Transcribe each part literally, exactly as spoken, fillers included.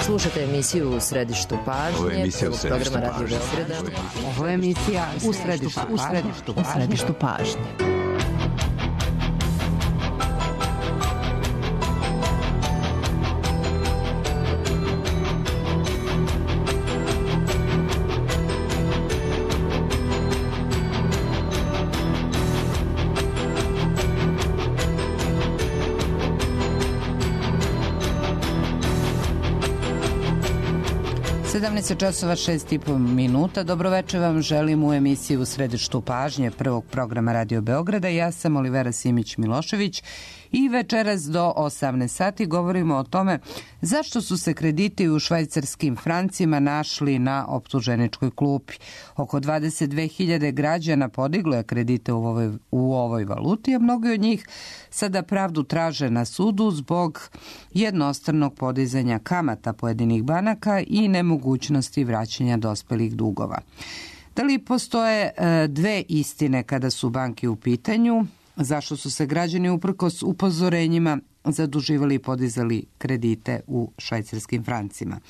Slušate emisiju U središtu pažnje. Ovo je emisija U središtu programa Radio pažnje. Beograda. Ovo je emisija U središtu, u središtu, u središtu pažnje. sedamnaest časova šest i po minuta. Dobroveče vam želim u emisiji U središtu pažnje prvog programa Radio Beograda. Ja sam Olivera Simić-Milošević i večeras do osamnaest sati govorimo o tome zašto su se krediti u švajcarskim francima našli na optuženičkoj klupi. Oko dvadeset dve hiljade građana podiglo je kredite u ovoj, u ovoj valuti, a mnogi od njih sada pravdu traže na sudu zbog jednostranog podizanja kamata pojedinih banaka i nemogućnosti vraćanja dospelih dugova. Da li postoje dve istine kada su banke u pitanju? Zašto su se građani uprkos upozorenjima zaduživali i podizali kredite u švajcarskim francima?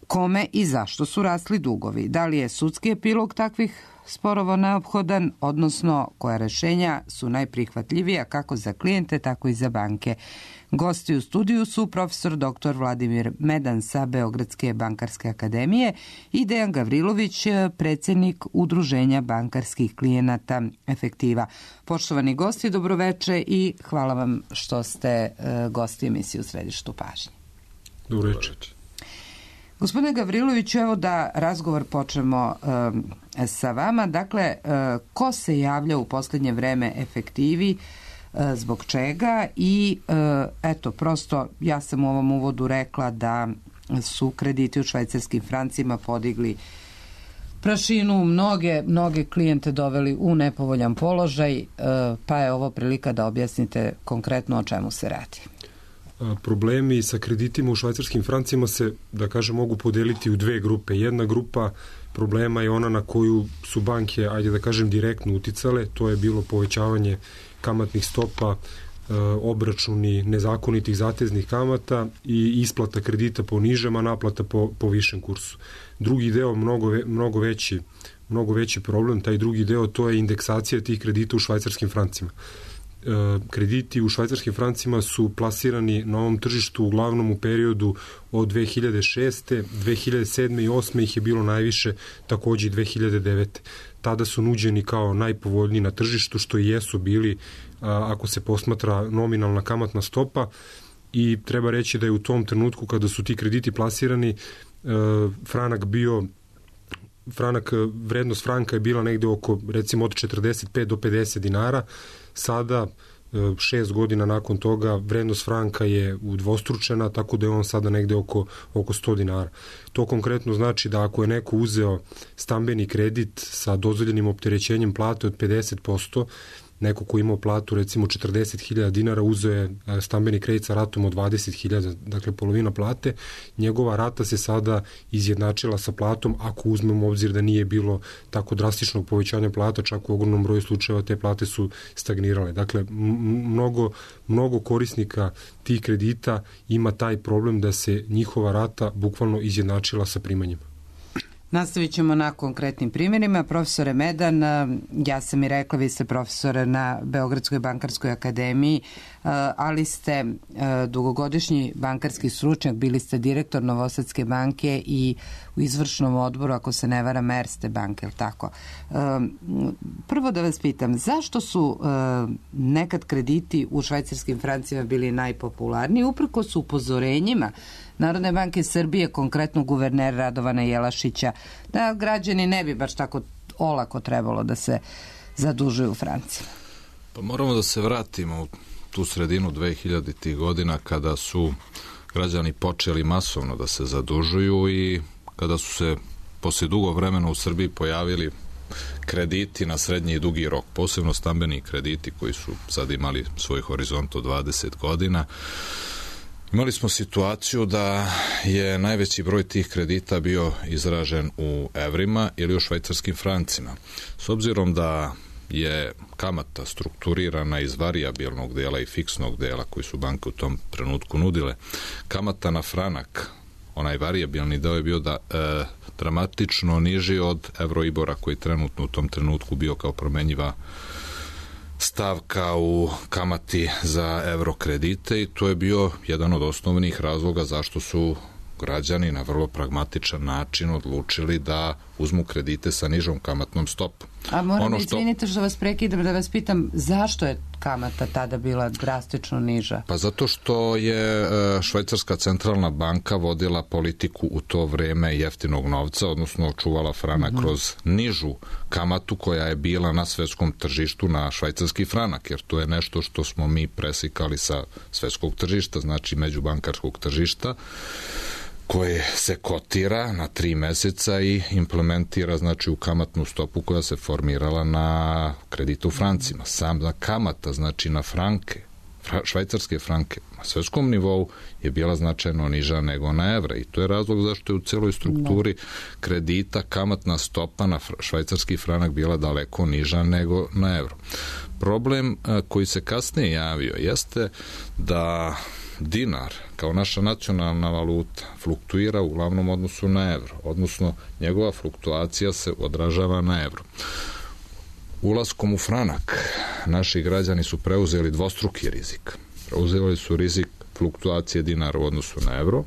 Kome i zašto su rasli dugovi? Da li je sudski epilog takvih sporova neophodan, odnosno koja rešenja su najprihvatljivija kako za klijente, tako i za banke? Gosti u studiju su profesor doktor Vladimir Medan sa Beogradske bankarske akademije i Dejan Gavrilović, predsjednik Udruženja bankarskih klijenata Efektiva. Poštovani gosti, dobroveče i hvala vam što ste gosti emisije U središtu pažnje. Dobroveče. Gospodine Gavriloviću, evo da razgovor počnemo um, sa vama. Dakle, uh, ko se javlja u posljednje vreme Efektivi, uh, zbog čega i uh, eto, prosto ja sam u ovom uvodu rekla da su krediti u švajcarskim francima podigli prašinu, mnoge, mnoge klijente doveli u nepovoljan položaj, uh, pa je ovo prilika da objasnite konkretno o čemu se radi. Problemi sa kreditima u švajcarskim francima se, da kažem, mogu podeliti u dve grupe. Jedna grupa problema je ona na koju su banke, ajde da kažem, direktno uticale. To je bilo povećavanje kamatnih stopa, obračuni nezakonitih zateznih kamata i isplata kredita po nižem, a naplata po, po višem kursu. Drugi deo, mnogo, mnogo, veći, mnogo veći problem, taj drugi deo, to je indeksacija tih kredita u švajcarskim francima. Krediti u švajcarskim francima su plasirani na ovom tržištu uglavnom u periodu od dve hiljade šeste, dve hiljade sedme i osme ih je bilo najviše, takođe i dve hiljade devete. Tada su nuđeni kao najpovoljniji na tržištu, što i jesu bili ako se posmatra nominalna kamatna stopa, i treba reći da je u tom trenutku kada su ti krediti plasirani franak bio franak, vrednost franka je bila negde oko, recimo, od četrdeset pet do pedeset dinara. Sada, šest godina nakon toga, vrednost franka je udvostručena, tako da je on sada negde oko, oko sto dinara. To konkretno znači da ako je neko uzeo stambeni kredit sa dozvoljenim opterećenjem plate od pedeset posto, neko ko imao platu recimo četrdeset hiljada dinara uzeo je stambeni kredit sa ratom od dvadeset hiljada, dakle polovina plate, njegova rata se sada izjednačila sa platom ako uzmemo u obzir da nije bilo tako drastičnog povećanja plata, čak u ogromnom broju slučajeva te plate su stagnirale. Dakle, mnogo, mnogo korisnika tih kredita ima taj problem da se njihova rata bukvalno izjednačila sa primanjima. Nastavit ćemo na konkretnim primjerima. Profesore Medan, ja sam i rekla, vi ste profesor na Beogradskoj bankarskoj akademiji, ali ste dugogodišnji bankarski stručnjak, bili ste direktor Novosadske banke i u izvršnom odboru, ako se ne varam, Erste banke, ili tako? Prvo da vas pitam, zašto su nekad krediti u švajcarskim francima bili najpopularniji, uprkos upozorenjima Narodne banke Srbije, konkretno guvernera Radovana Jelašića, da građani ne bi baš tako olako trebalo da se zadužuju u francima? Pa moramo da se vratimo u tu sredinu dve hiljaditih godina kada su građani počeli masovno da se zadužuju i kada su se posle dugo vremena u Srbiji pojavili krediti na srednji i dugi rok, posebno stambeni krediti koji su sad imali svoj horizont od dvadeset godina. Imali smo situaciju da je najveći broj tih kredita bio izražen u evrima ili u švajcarskim francima. S obzirom da je kamata strukturirana iz varijabilnog dela i fiksnog dela koji su banke u tom trenutku nudile, kamata na franak onaj varijabilni deo je bio da e, dramatično niži od Euroibora koji trenutno u tom trenutku bio kao promenjiva stavka u kamati za evrokredite i to je bio jedan od osnovnih razloga zašto su građani na vrlo pragmatičan način odlučili da uzmu kredite sa nižom kamatnom stopom. A moram ono što... izvinite što vas prekidam da vas pitam zašto je kamata tada bila drastično niža? Pa zato što je Švajcarska centralna banka vodila politiku u to vreme jeftinog novca, odnosno čuvala franak mm-hmm. kroz nižu kamatu koja je bila na svetskom tržištu na švajcarski franak, jer to je nešto što smo mi presikali sa svetskog tržišta, znači međubankarskog tržišta, koje se kotira na tri meseca i implementira znači u kamatnu stopu koja se formirala na kreditu u francima. Sama kamata znači na franke, švajcarske franke na svetskom nivou je bila značajno niža nego na evra i to je razlog zašto je u celoj strukturi kredita kamatna stopa na švajcarski franak bila daleko niža nego na evro. Problem koji se kasnije javio jeste da dinar kao naša nacionalna valuta fluktuira u glavnom odnosu na evro, odnosno njegova fluktuacija se odražava na evro. Ulaskom u franak naši građani su preuzeli dvostruki rizik. Preuzeli su rizik fluktuacije dinara u odnosu na evro,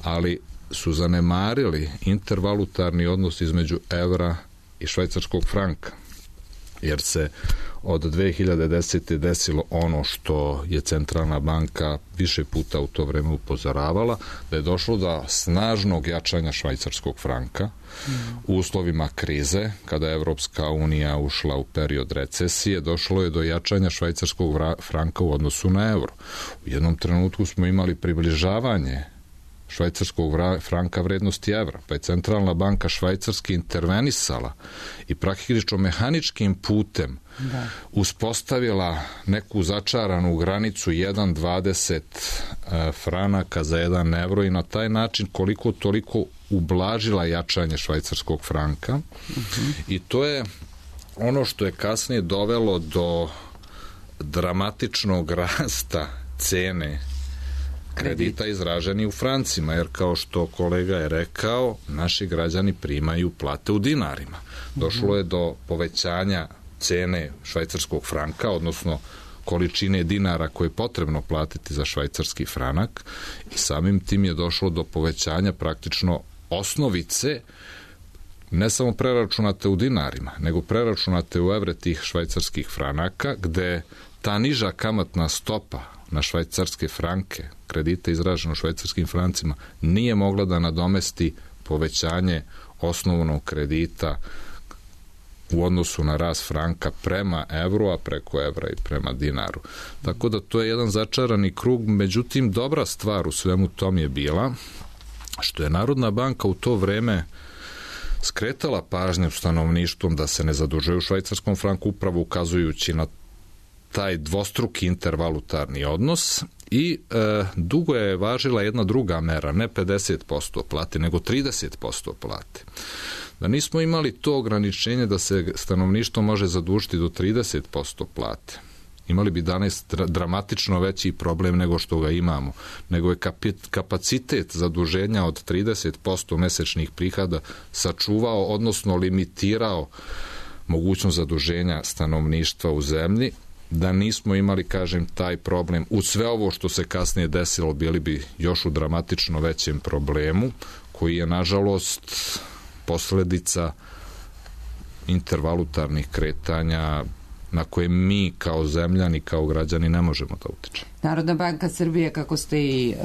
ali su zanemarili intervalutarni odnos između evra i švajcarskog franka, jer se od dve hiljade desete. desilo ono što je centralna banka više puta u to vreme upozoravala, da je došlo do snažnog jačanja švajcarskog franka mm. u uslovima krize, kada je Evropska unija ušla u period recesije, došlo je do jačanja švajcarskog franka u odnosu na evro. U jednom trenutku smo imali približavanje švajcarskog franka vrednosti evra, pa je centralna banka švajcarski intervenisala i praktično mehaničkim putem da. uspostavila neku začaranu granicu jedan zarez dvadeset franaka za jedan evro i na taj način koliko toliko ublažila jačanje švajcarskog franka uh-huh. i to je ono što je kasnije dovelo do dramatičnog rasta cene kredita izraženi u francima, jer kao što kolega je rekao, naši građani primaju plate u dinarima. Došlo je do povećanja cene švajcarskog franka, odnosno količine dinara koje je potrebno platiti za švajcarski franak i samim tim je došlo do povećanja praktično osnovice, ne samo preračunate u dinarima, nego preračunate u evre tih švajcarskih franaka, gde ta niža kamatna stopa na švajcarske franke, kredite izraženo švajcarskim francima, nije mogla da nadomesti povećanje osnovnog kredita u odnosu na rast franka prema evru, a preko evra i prema dinaru. Tako da to je jedan začarani krug, međutim dobra stvar u svemu tom je bila što je Narodna banka u to vreme skretala pažnju stanovništvom da se ne zadužuje u švajcarskom franku, upravo ukazujući na taj dvostruki intervalutarni odnos i e, dugo je važila jedna druga mera, ne pedeset posto plate, nego trideset posto plate. Da nismo imali to ograničenje da se stanovništvo može zadužiti do trideset posto plate, imali bi danas dramatično veći problem nego što ga imamo, nego je kapacitet zaduženja od trideset posto mesečnih prihoda sačuvao, odnosno limitirao mogućnost zaduženja stanovništva u zemlji. Da nismo imali, kažem, taj problem, uz sve ovo što se kasnije desilo, bili bi još u dramatično većem problemu, koji je, nažalost, posledica intervalutarnih kretanja na koje mi kao zemljani, kao građani ne možemo da utičemo. Narodna banka Srbije, kako ste i e,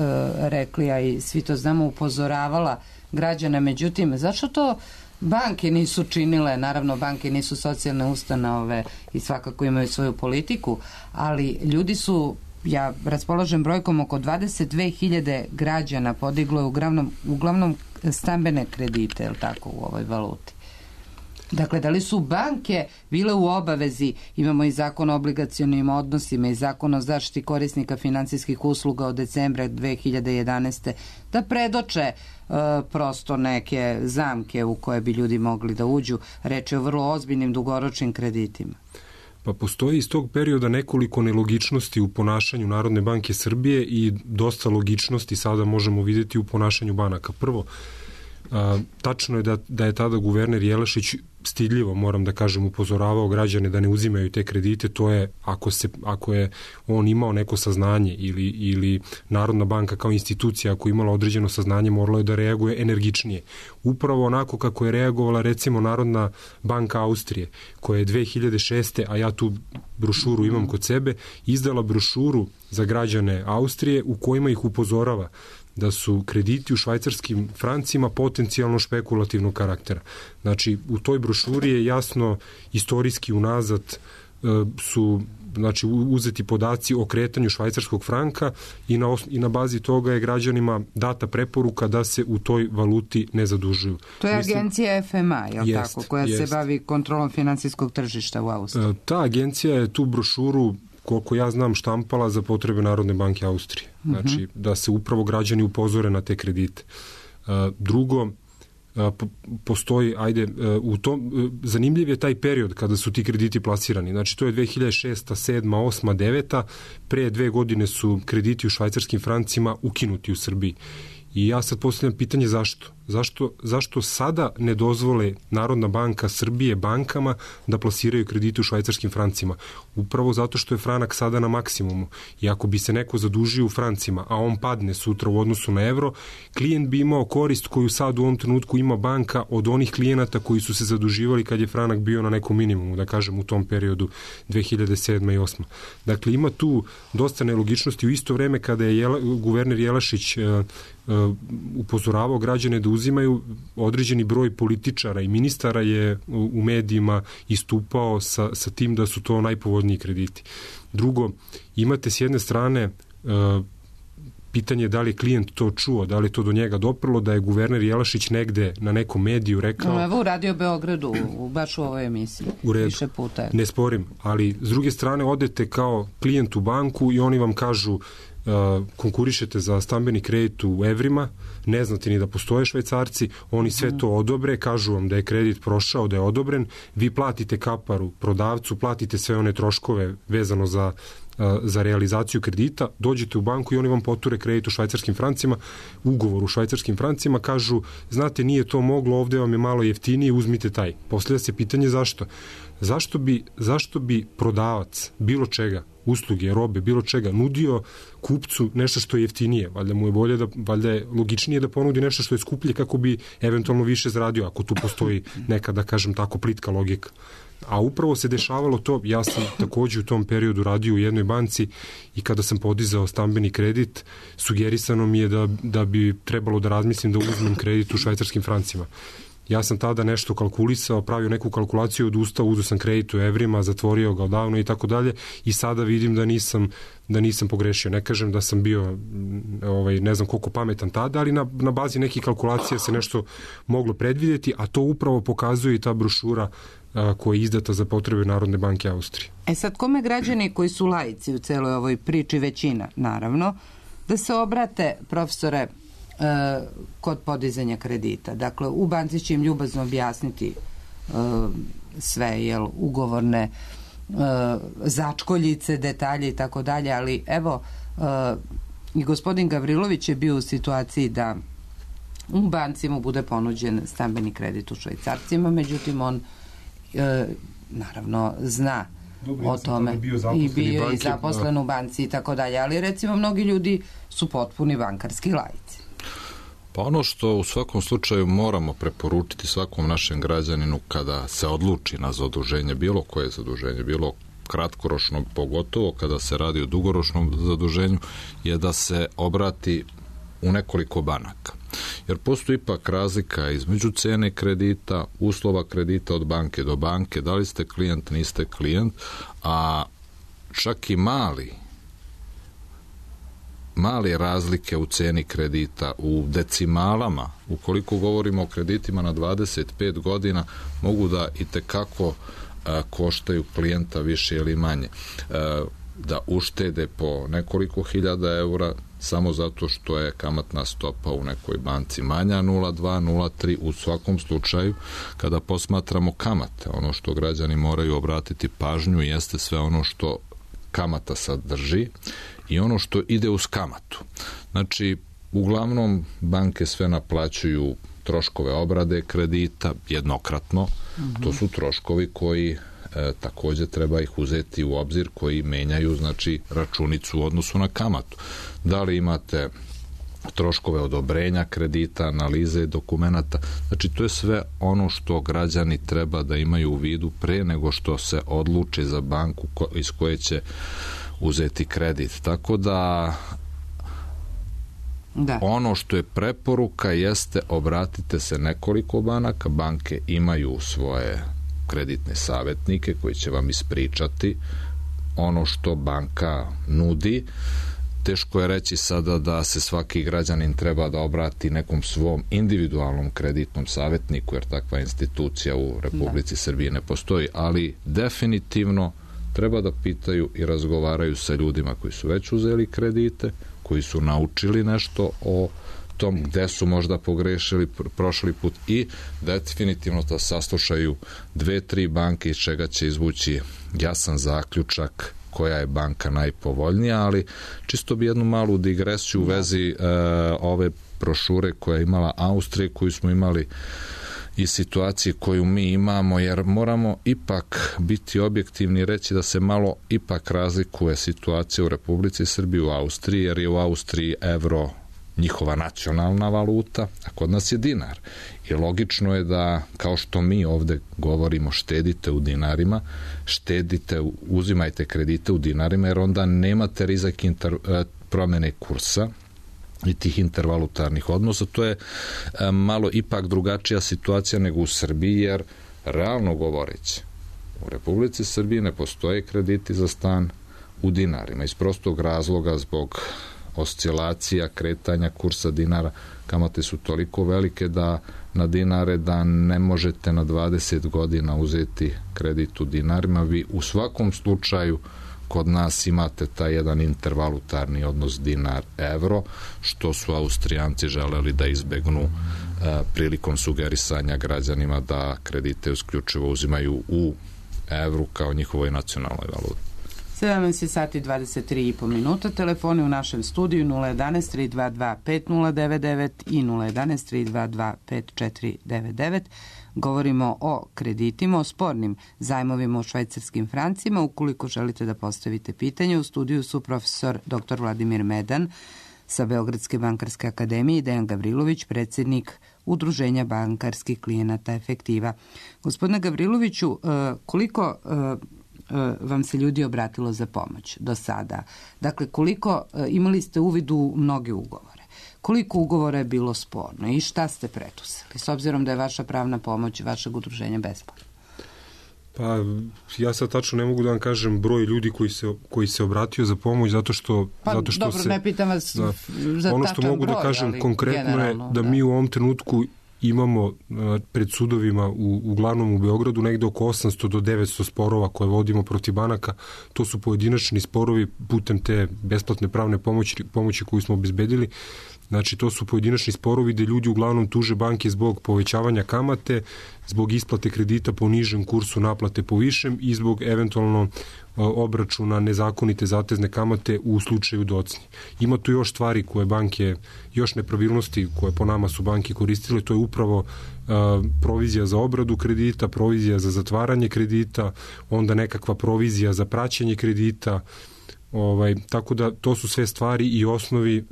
rekli, a i svi to znamo, upozoravala građane, međutim, zašto to banke nisu činile? Naravno, banke nisu socijalne ustanove i svakako imaju svoju politiku, ali ljudi su, ja raspolažem brojkom, oko dvadeset dve hiljade građana podiglo je uglavnom, uglavnom stambene kredite, je li tako, u ovoj valuti. Dakle, da li su banke bile u obavezi, imamo i zakon o obligacionim odnosima i zakon o zaštiti korisnika finansijskih usluga od decembra dve hiljade jedanaeste. da predoče e, prosto neke zamke u koje bi ljudi mogli da uđu. Reč je o vrlo ozbiljnim dugoročnim kreditima. Pa postoji iz tog perioda nekoliko nelogičnosti u ponašanju Narodne banke Srbije i dosta logičnosti sada možemo vidjeti u ponašanju banaka. Prvo, a, tačno je da, da je tada guverner Jelašić stidljivo, moram da kažem, upozoravao građane da ne uzimaju te kredite. To je, ako, se, ako je on imao neko saznanje ili, ili Narodna banka kao institucija, ako je imala određeno saznanje, moralo je da reaguje energičnije. Upravo onako kako je reagovala recimo Narodna banka Austrije, koja je dve hiljade šeste. a ja tu brošuru imam kod sebe, izdala brošuru za građane Austrije u kojima ih upozorava da su krediti u švajcarskim francima potencijalno špekulativnog karaktera. Znači, u toj brošuri je jasno istorijski unazad e, su znači, uzeti podaci o kretanju švajcarskog franka i na, i na bazi toga je građanima data preporuka da se u toj valuti ne zadužuju. To je Mislim, agencija F M A, je li jest, tako, koja jest. se bavi kontrolom finansijskog tržišta u Austriji? E, ta agencija je tu brošuru, koliko ja znam, štampala za potrebe Narodne banke Austrije. Znači, uh-huh. da se upravo građani upozore na te kredite. Uh, drugo, uh, postoji, ajde, uh, u tom, uh, zanimljiv je taj period kada su ti krediti plasirani. Znači, to je dve hiljade šesta, sedma, osma, deveta. Pre dve godine su krediti u švajcarskim francima ukinuti u Srbiji. I ja sad postavljam pitanje zašto? Zašto, zašto sada ne dozvole Narodna banka Srbije bankama da plasiraju kredite u švajcarskim francima? Upravo zato što je franak sada na maksimumu. I ako bi se neko zadužio u francima, a on padne sutra u odnosu na evro, klijent bi imao korist koju sad u ovom trenutku ima banka od onih klijenata koji su se zaduživali kad je franak bio na nekom minimumu, da kažem u tom periodu dve hiljade sedma i osma. Dakle, ima tu dosta nelogičnosti. U isto vreme kada je Jela, guverner Jelašić uh, uh, upozoravao građane da uzimaju, određeni broj političara i ministara je u, u medijima istupao sa, sa tim da su to najpovoljniji krediti. Drugo, imate s jedne strane uh, pitanje da li je klijent to čuo, da li je to do njega doprlo, da je guverner Jelašić negde na nekom mediju rekao... No, evo u Radio Beogradu, u, baš u ovoj emisiji. U redu, više puta. Ne sporim, ali s druge strane odete kao klijent u banku i oni vam kažu Uh, konkurišete za stambeni kredit u evrima, ne znate ni da postoje švajcarci, oni sve to odobre, kažu vam da je kredit prošao, da je odobren, vi platite kaparu prodavcu, platite sve one troškove vezano za, uh, za realizaciju kredita, dođete u banku i oni vam poture kredit u švajcarskim francima, ugovor u švajcarskim francima, kažu, znate, nije to moglo, ovde vam je malo jeftinije, uzmite taj. Postavlja se pitanje zašto? Zašto bi, zašto bi prodavac bilo čega, usluge, robe, bilo čega, nudio kupcu nešto što je jeftinije? Valjda mu je bolje da, valjda je logičnije da ponudi nešto što je skuplje kako bi eventualno više zaradio, ako tu postoji neka, da kažem tako, plitka logika. A upravo se dešavalo to, ja sam takođe u tom periodu radio u jednoj banci i kada sam podizao stambeni kredit, sugerisano mi je da, da bi trebalo da razmislim da uzmem kredit u švajcarskim francima. Ja sam tada nešto kalkulisao, pravio neku kalkulaciju, odustao, uzeo sam kredit u evrima, zatvorio ga odavno i tako dalje i sada vidim da nisam, da nisam pogrešio. Ne kažem da sam bio ovaj, ne znam koliko pametan tada, ali na, na bazi nekih kalkulacija se nešto moglo predvidjeti, a to upravo pokazuje i ta brošura a, koja je izdata za potrebe Narodne banke Austrije. E sad, kome građani koji su laici u celoj ovoj priči, većina, naravno, da se obrate, profesore, kod podizanja kredita? Dakle, u banci će im ljubazno objasniti uh, sve, jel, ugovorne uh, začkoljice, detalje i tako dalje, ali evo, uh, i gospodin Gavrilović je bio u situaciji da u banci mu bude ponuđen stambeni kredit u švajcarcima, međutim on uh, naravno zna Dobre, o tome bio i bio i zaposlen u banci i tako dalje, ali recimo mnogi ljudi su potpuni bankarski laici. Pa ono što u svakom slučaju moramo preporučiti svakom našem građaninu kada se odluči na zaduženje, bilo koje zaduženje, bilo kratkoročno, pogotovo kada se radi o dugoročnom zaduženju, je da se obrati u nekoliko banaka. Jer postoji ipak razlika između cene kredita, uslova kredita od banke do banke, da li ste klijent, niste klijent, a čak i mali male razlike u ceni kredita, u decimalama, ukoliko govorimo o kreditima na dvadeset pet godina, mogu da itekako a, koštaju klijenta više ili manje. A, da uštede po nekoliko hiljada eura samo zato što je kamatna stopa u nekoj banci manja nula zarez dva, nula zarez tri. U svakom slučaju, kada posmatramo kamate, ono što građani moraju obratiti pažnju jeste sve ono što kamata sadrži i ono što ide uz kamatu. Znači, uglavnom banke sve naplaćuju troškove obrade kredita jednokratno. Mm-hmm. To su troškovi koji e, takođe treba ih uzeti u obzir, koji menjaju znači računicu u odnosu na kamatu. Da li imate troškove odobrenja kredita, analize dokumenata, znači to je sve ono što građani treba da imaju u vidu pre nego što se odluče za banku ko, iz koje će uzeti kredit. Tako da Da. Ono što je preporuka jeste obratite se nekoliko banaka, banke imaju svoje kreditne savjetnike koji će vam ispričati ono što banka nudi. Teško je reći sada da se svaki građanin treba da obrati nekom svom individualnom kreditnom savjetniku, jer takva institucija u Republici da. Srbiji ne postoji, ali definitivno treba da pitaju i razgovaraju sa ljudima koji su već uzeli kredite, koji su naučili nešto o tom gde su možda pogrešili prošli put i definitivno da saslušaju dve, tri banke iz čega će izvući jasan zaključak koja je banka najpovoljnija, ali čisto bi jednu malu digresiju u vezi e, ove brošure koja je imala Austrija, koju smo imali i situacije koju mi imamo, jer moramo ipak biti objektivni i reći da se malo ipak razlikuje situacija u Republici Srbiji u Austriji, jer je u Austriji evro njihova nacionalna valuta, a kod nas je dinar. I logično je da, kao što mi ovde govorimo, štedite u dinarima, štedite, uzimajte kredite u dinarima, jer onda nemate rizik inter, promene kursa i tih intervalutarnih odnosa. To je e, malo ipak drugačija situacija nego u Srbiji, jer realno govoreći, u Republici Srbiji ne postoje krediti za stan u dinarima. Iz prostog razloga zbog oscilacija, kretanja kursa dinara, kamate su toliko velike da na dinare da ne možete na dvadeset godina uzeti kredit u dinarima. Vi u svakom slučaju kod nas imate taj jedan intervalutarni odnos dinar-evro, što su Austrijanci želeli da izbegnu e, prilikom sugerisanja građanima da kredite isključivo uzimaju u evru kao njihovoj nacionalnoj valuti. sedamnaest sati i dvadeset tri i po minuta. Telefoni u našem studiju nula jedanaest tri dva dva pet nula devet devet i nula jedanaest tri dva dva pet četiri devet devet. Govorimo o kreditima, o spornim zajmovima u švajcarskim francima. Ukoliko želite da postavite pitanje, u studiju su profesor doktor Vladimir Medan sa Beogradske bankarske akademije i Dejan Gavrilović, predsjednik Udruženja bankarskih klijenata Efektiva. Gospodine Gavriloviću, koliko vam se ljudi obratilo za pomoć do sada? Dakle, koliko imali ste uvid u mnoge ugovore? Koliko ugovora je bilo sporno i šta ste preduzeli, s obzirom da je vaša pravna pomoć i vašeg udruženja besplatna? Pa, ja sad tačno ne mogu da vam kažem broj ljudi koji se, koji se obratio za pomoć, zato što, pa, zato što dobro, se... ne pitam vas da, za ono što mogu broj, da kažem konkretno je da, da mi u ovom trenutku imamo pred sudovima u, uglavnom u Beogradu negde oko osamsto do devetsto sporova koje vodimo protiv banaka. To su pojedinačni sporovi putem te besplatne pravne pomoći, pomoći koju smo obezbedili. Znači, to su pojedinačni sporovi gde ljudi uglavnom tuže banke zbog povećavanja kamate, zbog isplate kredita po nižem kursu naplate po višem i zbog eventualno obračuna nezakonite zatezne kamate u slučaju docnje. Ima tu još stvari koje banke, još nepravilnosti koje po nama su banke koristile, to je upravo uh, provizija za obradu kredita, provizija za zatvaranje kredita, onda nekakva provizija za praćenje kredita. Ovaj, tako da to su sve stvari i osnovi e,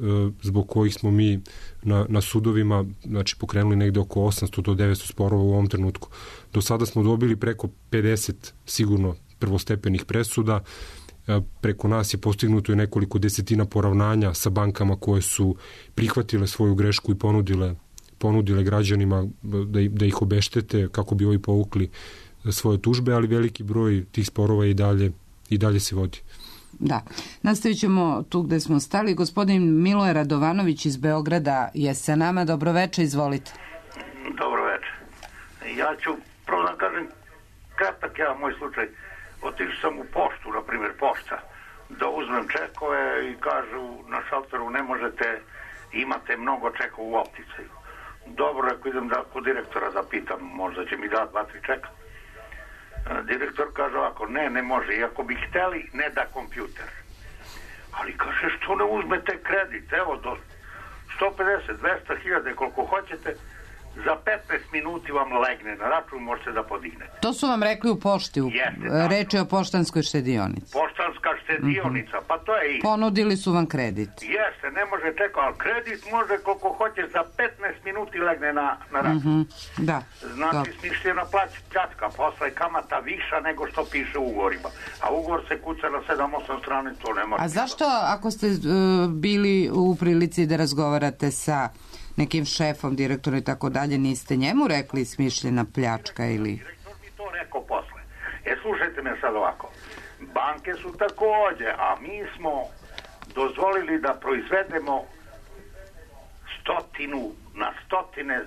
zbog kojih smo mi na, na sudovima znači, pokrenuli negde oko osamsto do devetsto sporova u ovom trenutku. Do sada smo dobili preko pedeset sigurno prvostepenih presuda. E, preko nas je postignuto i nekoliko desetina poravnanja sa bankama koje su prihvatile svoju grešku i ponudile, ponudile građanima da, da ih obeštete kako bi ovi povukli svoje tužbe, ali veliki broj tih sporova i dalje, i dalje se vodi. Da. Nastavit ćemo tu gde smo stali. Gospodin Miloje Radovanović iz Beograda je sa nama. Dobroveče, izvolite. Dobroveče. Ja ću prvo da kažem kratak ja moj slučaj. Otišao sam u poštu, na primjer pošta. da uzmem čekove i kažu na šalteru ne možete, imate mnogo čekova u opticaju. Dobro, ako idem da kod direktora da pitam, možda će mi da dva, tri čeka. Direktor kaže ovako, ne, ne može, iako bi hteli, ne da kompjuter. Ali kaže, što ne uzmete kredit, evo do sto pedeset, dvesta hiljada, koliko hoćete, za petnaest minuti vam legne na račun, možete da podignete. To su vam rekli u pošti, Jeste, reč je o poštanskoj štedionici. Poštanska štedionica, mm-hmm. pa to je isto. Ponudili su vam kredit. Jeste, ne može čekati, ali kredit može koliko hoće, za petnaest minuti legne na, na račun. Mm-hmm. Da. Znači, smišljena pljačka, posle kamata viša nego što piše u ugovorima. A ugovor se kuca na sedam osam strane, to nema. A zašto, ako ste uh, bili u prilici da razgovarate sa nekim šefom, direktorom i tako dalje, niste njemu rekli smišljena pljačka ili... Direktor mi to rekao posle. E, slušajte me sad ovako. Banke su takođe, a mi smo dozvolili da proizvedemo stotinu na stotine,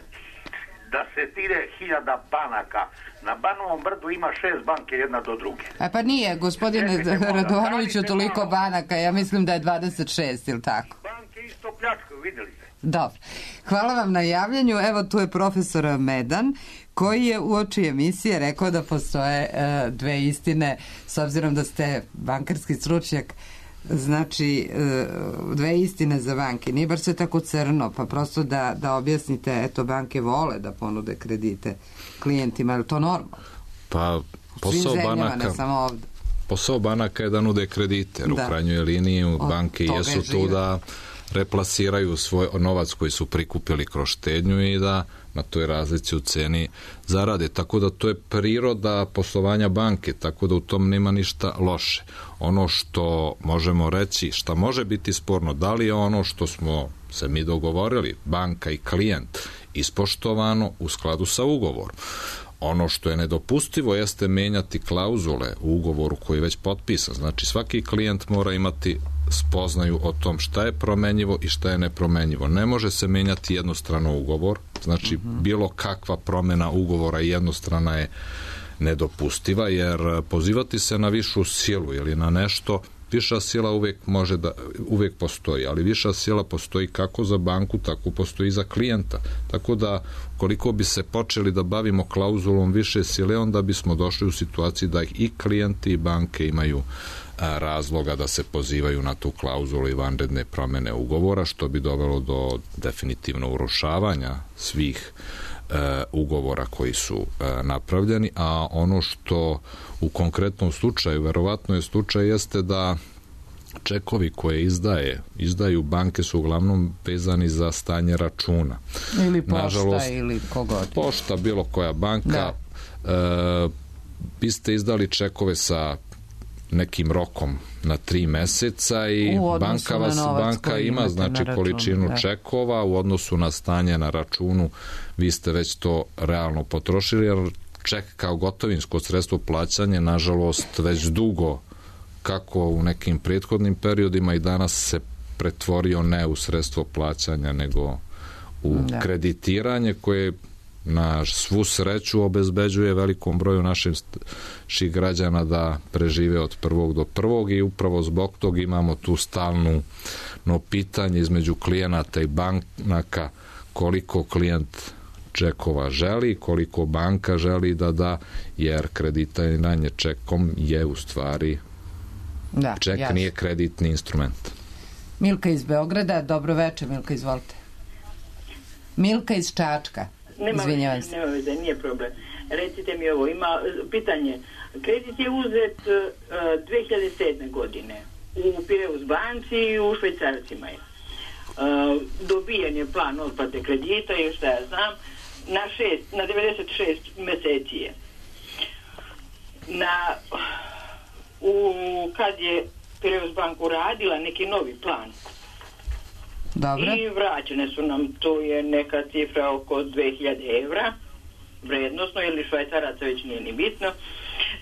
da se tire hiljada banaka. Na Banovom brdu ima šest banke jedna do druge. A pa nije, gospodine Radovanoviću, toliko banaka, ja mislim da je dvadeset šest, ili tako? Banke isto pljačkaju, vidjeli ste. Dobro. Hvala vam na javljanju. Evo, tu je profesor Medan, koji je uoči emisije rekao da postoje e, dve istine, s obzirom da ste bankarski stručnjak, znači e, dve istine za banke. Nije baš sve tako crno, pa prosto da, da objasnite, eto, banke vole da ponude kredite klijentima, je li to normalno? Pa, posao banaka... Ne samo ovde. Posao banaka je da nude kredite, jer da. U krajnjoj liniji od banke jesu tu da replasiraju svoj novac koji su prikupili kroz štednju i da na toj razlici u ceni zarade. Tako da to je priroda poslovanja banke, tako da u tom nema ništa loše. Ono što možemo reći, šta može biti sporno, da li je ono što smo se mi dogovorili, banka i klijent, ispoštovano u skladu sa ugovorom. Ono što je nedopustivo jeste menjati klauzule u ugovoru koji je već potpisan. Znači, svaki klijent mora imati spoznaju o tom šta je promenjivo i šta je nepromenjivo. Ne može se menjati jednostrano ugovor, znači uh-huh. bilo kakva promena ugovora jednostrana je nedopustiva, jer pozivati se na višu silu ili na nešto, viša sila uvijek može da, uvijek postoji, ali viša sila postoji kako za banku, tako postoji i za klijenta. Tako da, koliko bi se počeli da bavimo klauzulom više sile, onda bismo došli u situaciji da i klijenti i banke imaju a, razloga da se pozivaju na tu klauzulu i vanredne promene ugovora, što bi dovelo do definitivno urušavanja svih e, ugovora koji su e, napravljeni, a ono što u konkretnom slučaju, verovatno je slučaj, jeste da čekovi koje izdaje, izdaju banke su uglavnom vezani za stanje računa. Ili pošta, nažalost, ili kogod. Pošta, bilo koja banka. E, vi ste izdali čekove sa nekim rokom na tri meseca i banka vas banka ima znači količinu da. čekova u odnosu na stanje na računu, vi ste već to realno potrošili, jer ček kao gotovinsko sredstvo plaćanja nažalost već dugo, kako u nekim prethodnim periodima i danas, se pretvorio ne u sredstvo plaćanja nego u da. kreditiranje koje na svu sreću obezbeđuje velikom broju naših građana da prežive od prvog do prvog, i upravo zbog toga imamo tu stalno no pitanje između klijenata i banaka, koliko klijent čekova želi, koliko banka želi da da, jer kreditiranje čekom je u stvari da, ček jasno. Nije kreditni instrument. Milka iz Beograda, dobro večer. Milka, izvolite. Milka iz Čačka. Nema veze, nema veze, nije problem. Recite mi ovo, ima pitanje. Kredit je uzet uh, dve hiljade sedme. godine u Pireus banci i u švajcarcima je. Uh, dobijen je plan otplate kredita i šta ja znam, na, šest, na devedeset šest meseci je. Na, u, kad je Pireus bank uradila neki novi plan, dobro. I vraćene su nam, to je neka cifra oko dve hiljade evra vrednosno, ili švajcaraca, već nije ni bitno.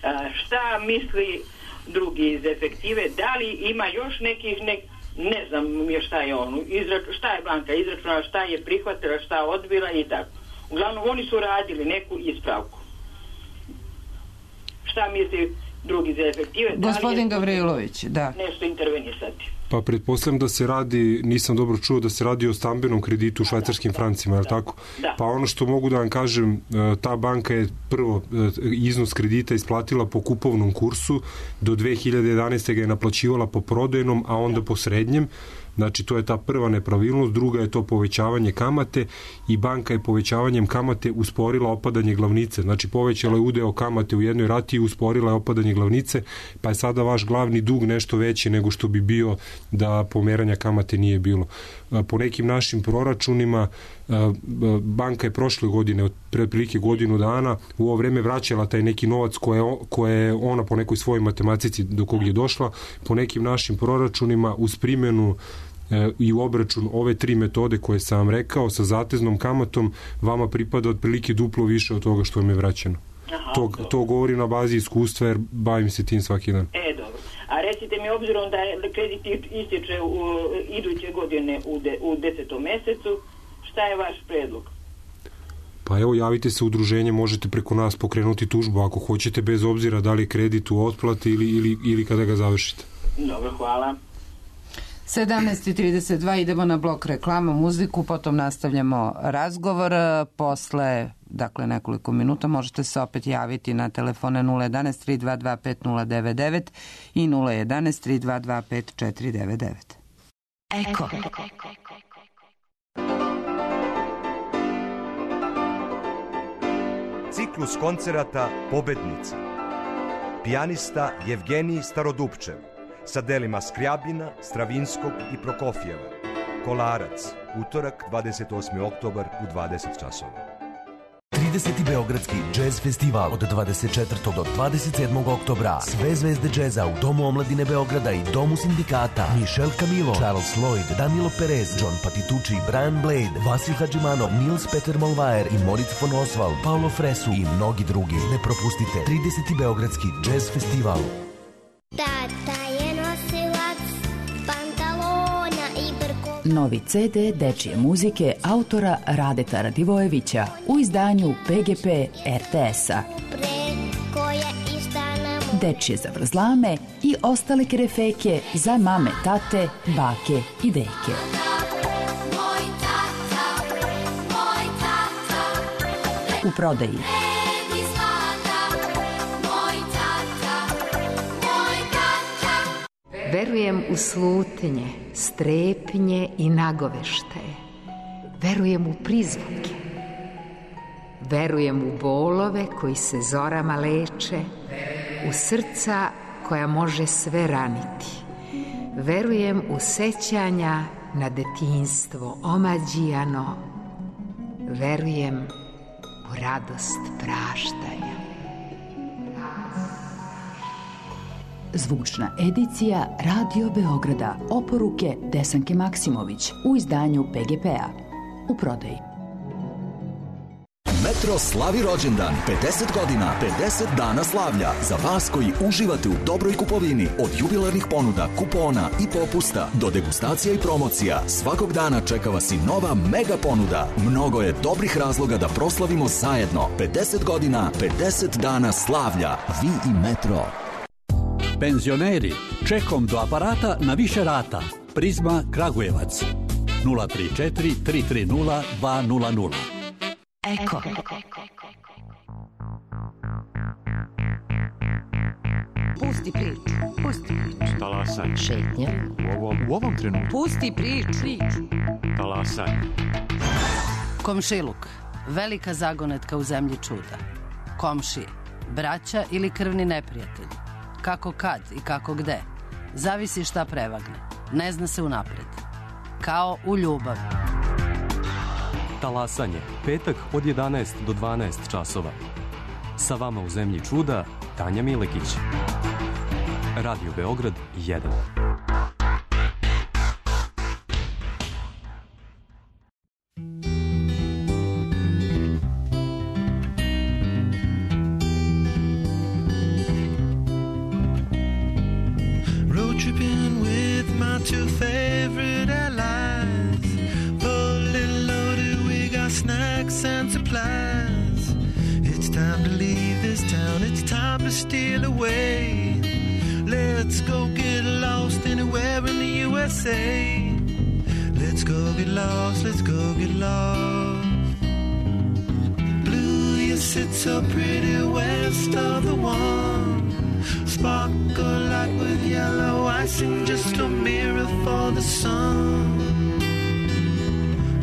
A, šta misli drugi iz efektive, da li ima još nekih, ne, ne znam još šta je on, izrač, šta je banka izračunala, šta je prihvatila, šta odbila i tako. Uglavnom, oni su radili neku ispravku. Šta misli drugi za efektive. Gospodin Gavrilović, da. Nešto intervenisati. Pa pretpostavljam da se radi, nisam dobro čuo, da se radi o stambenom kreditu u švajcarskim francima, je li tako? Da. Pa ono što mogu da vam kažem, ta banka je prvo iznos kredita isplatila po kupovnom kursu, do dve hiljade jedanaeste ga je naplaćivala po prodajnom, a onda po srednjem. Znači, to je ta prva nepravilnost, druga je to povećavanje kamate i banka je povećavanjem kamate usporila opadanje glavnice. Znači, povećala je udeo kamate u jednoj rati i usporila je opadanje glavnice, pa je sada vaš glavni dug nešto veći nego što bi bio da pomeranja kamate nije bilo. Po nekim našim proračunima, banka je prošle godine, od prilike godinu dana, u ovo vreme vraćala taj neki novac koje, koje je ona po nekoj svojoj matematici do kog je došla. Po nekim našim proračunima, uz primjenu i u obračun ove tri metode koje sam vam rekao, sa zateznom kamatom, vama pripada otprilike duplo više od toga što vam je vraćeno. Aha, to, to govorim na bazi iskustva, jer bavim se tim svaki dan. E, dobro. A recite mi, obzirom da kredit ističe u iduće godine u, de, u desetom mesecu, šta je vaš predlog? Pa evo, javite se u udruženje, možete preko nas pokrenuti tužbu ako hoćete, bez obzira da li je kredit u otplati ili, ili, ili kada ga završite. Dobro, hvala. sedamnaest i trideset dva, idemo na blok reklama, muziku, potom nastavljamo razgovor. Posle, dakle, nekoliko minuta možete se opet javiti na telefone nula jedanaest tri dva dva pet nula devet devet i nula jedanaest tri dva dva pet četiri devet devet. Eko. Ciklus koncerata Pobednici. Pijanista Jevgenij Starodupčev sa delima Skrjabina, Stravinskog i Prokofjeva. Kolarac, utorak dvadeset osmi oktobar u dvadeset časova. trideseti Beogradski džez festival od dvadeset četvrtog do dvadeset sedmog oktobra. Sve zvezde džeza u Domu omladine Beograda i Domu sindikata. Michel Camilo, Charles Lloyd, Danilo Perez, John Patitucci, Brian Blade, Vasil Hadžimanov, Nils Peter Molvaer i Moritz von Oswald, Paolo Fresu i mnogi drugi. Ne propustite trideseti Beogradski džez festival. Tata je nosilac pantalona i brko. Novi ce de dečije muzike autora Radeta Radivojevića u izdanju pe ge pe er te es-a. Preko je istana mu. Dečije zavrzlame i ostale kerefeke za mame, tate, bake i deke. Moj tata, moj tata. U prodaji. Verujem u slutnje, strepnje i nagoveštaje. Verujem u prizvuke. Verujem u bolove koji se zorama leče, u srca koja može sve raniti. Verujem u sećanja na detinjstvo omađijano. Verujem u radost praštanja. Zvučna edicija Radio Beograda. Oporuke Desanke Maksimović u izdanju pe ge pe-a. U prodaji. Metro slavi rođendan, pedeset godina, pedeset dana slavlja. Za vas koji uživate u dobroj kupovini, od jubilarnih ponuda, kupona i popusta do degustacija i promocija, svakog dana čeka vas i nova mega ponuda. Mnogo je dobrih razloga da proslavimo zajedno. pedeset godina, pedeset dana slavlja. Vi i Metro. Penzioneri, čekom do aparata na više rata. Prizma Kragujevac. nula tri četiri tri tri nula dva nula nula. Eko. Pusti priču, pusti priču. Talasanje. Šetnja. U ovom, u ovom trenutku. Pusti priču. Talasanje. Komšiluk, velika zagonetka u zemlji čuda. Komšije, braća ili krvni neprijatelji. Kako kad i kako gde. Zavisi šta prevagne. Ne zna se unapred. Kao u ljubavi. Talasanje. Petak od jedanaest do dvanaest časova. Sa vama u zemlji čuda Tanja Milekić. Radio Beograd jedan. Road tripping with my two favorite allies. Fully loaded, we got snacks and supplies. It's time to leave this town, it's time to steal away. Let's go get lost anywhere in the U S A. Let's go get lost, let's go get lost. Blue, you sit so pretty west of the one. Sparkle like with yellow icing, just a mirror for the sun.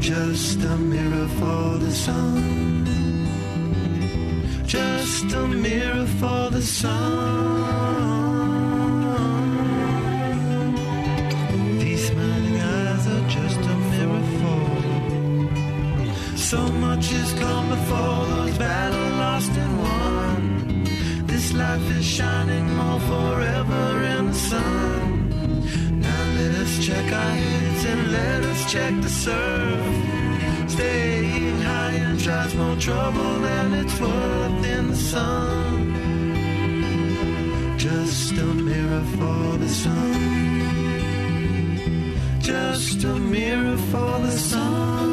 Just a mirror for the sun. Just a mirror for the sun. These smiling eyes are just a mirror for. So much has come before, those battles lost and won. This life is shining more forever in the sun. Now let us check our heads and let us check the surf. Staying high and tries more trouble than it's worth in the sun. Just a mirror for the sun. Just a mirror for the sun.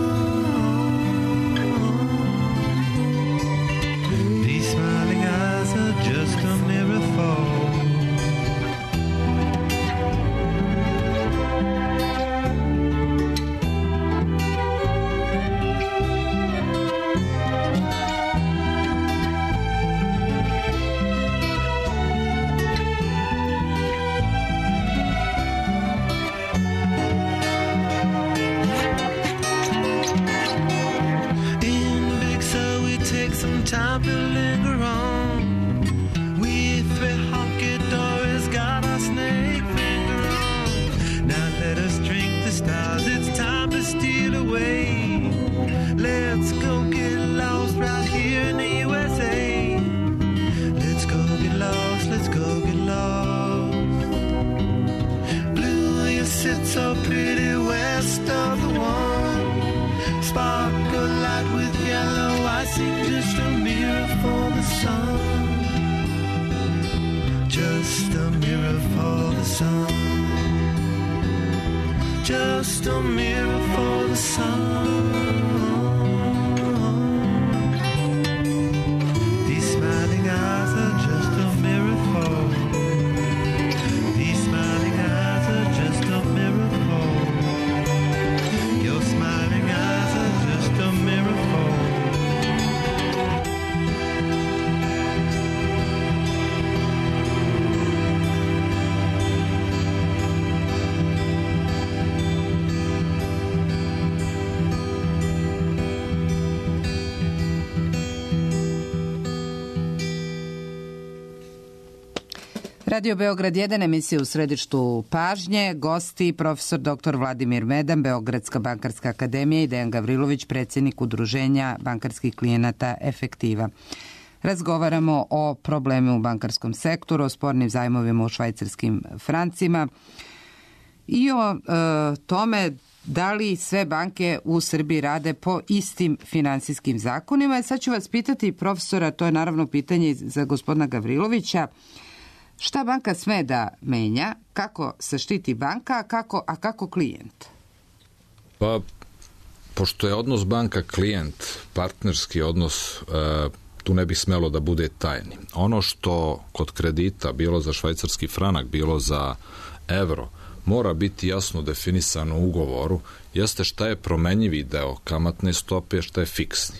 These smiling eyes are just a mirror for. Time to linger on. We three honky dories got our snake finger on. Now let us drink the stars, it's time to steal away. Let's go get lost right here in the U S A. Let's go get lost, let's go get lost. Blue, you sit so pretty west of the one. Sparkle light with yellow icing, just a mirror for the sun. Just a mirror for the sun. Just a mirror for the sun. These smiling eyes are just a mirror for. These smiling eyes are just a mirror for. Your smiling eyes are just a mirror for. Radio Beograd jedan, emisija u središtu pažnje, gosti profesor doktor Vladimir Medan, Beogradska bankarska akademija i Dejan Gavrilović, predsjednik udruženja bankarskih klijenata Efektiva. Razgovaramo o problemu u bankarskom sektoru, o spornim zajmovima u švajcarskim francima i o e, tome da li sve banke u Srbiji rade po istim finansijskim zakonima. Sad ću vas pitati, profesora, to je naravno pitanje za gospodina Gavrilovića, šta banka sme da menja, kako se štiti banka, a kako, a kako klijent? Pa, pošto je odnos banka-klijent, partnerski odnos, e, tu ne bi smelo da bude tajni. Ono što kod kredita, bilo za švajcarski franak, bilo za evro, mora biti jasno definisano u ugovoru, jeste šta je promenjivi deo kamatne stope, šta je fiksni.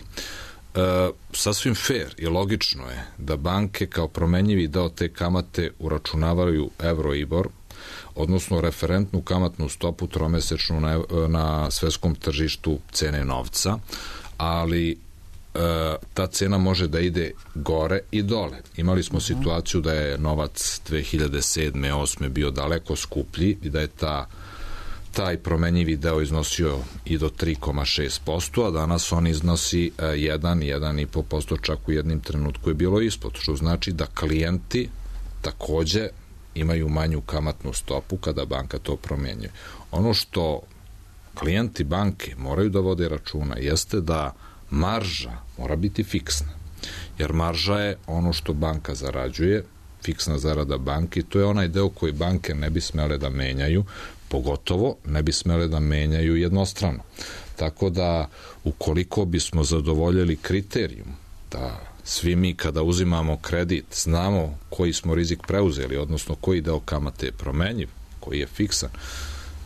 E, sasvim fair i logično je da banke kao promenjivi deo te kamate uračunavaju Euribor, odnosno referentnu kamatnu stopu tromesečnu na, na svetskom tržištu cene novca, ali e, ta cena može da ide gore i dole. Imali smo uh-huh. situaciju da je novac dve hiljade sedme osme bio daleko skuplji i da je ta taj promenjivi deo iznosio i do tri zarez šest posto, a danas on iznosi jedan, jedan i po posto, čak u jednim trenutku je bilo ispod, što znači da klijenti takođe imaju manju kamatnu stopu kada banka to promenjuje. Ono što klijenti banke moraju da vode računa jeste da marža mora biti fiksna, jer marža je ono što banka zarađuje, fiksna zarada banke, to je onaj deo koji banke ne bi smele da menjaju, pogotovo ne bi smele da menjaju jednostrano. Tako da, ukoliko bismo zadovoljili kriterijum da svi mi kada uzimamo kredit znamo koji smo rizik preuzeli, odnosno koji deo kamate je promenjiv, koji je fiksan.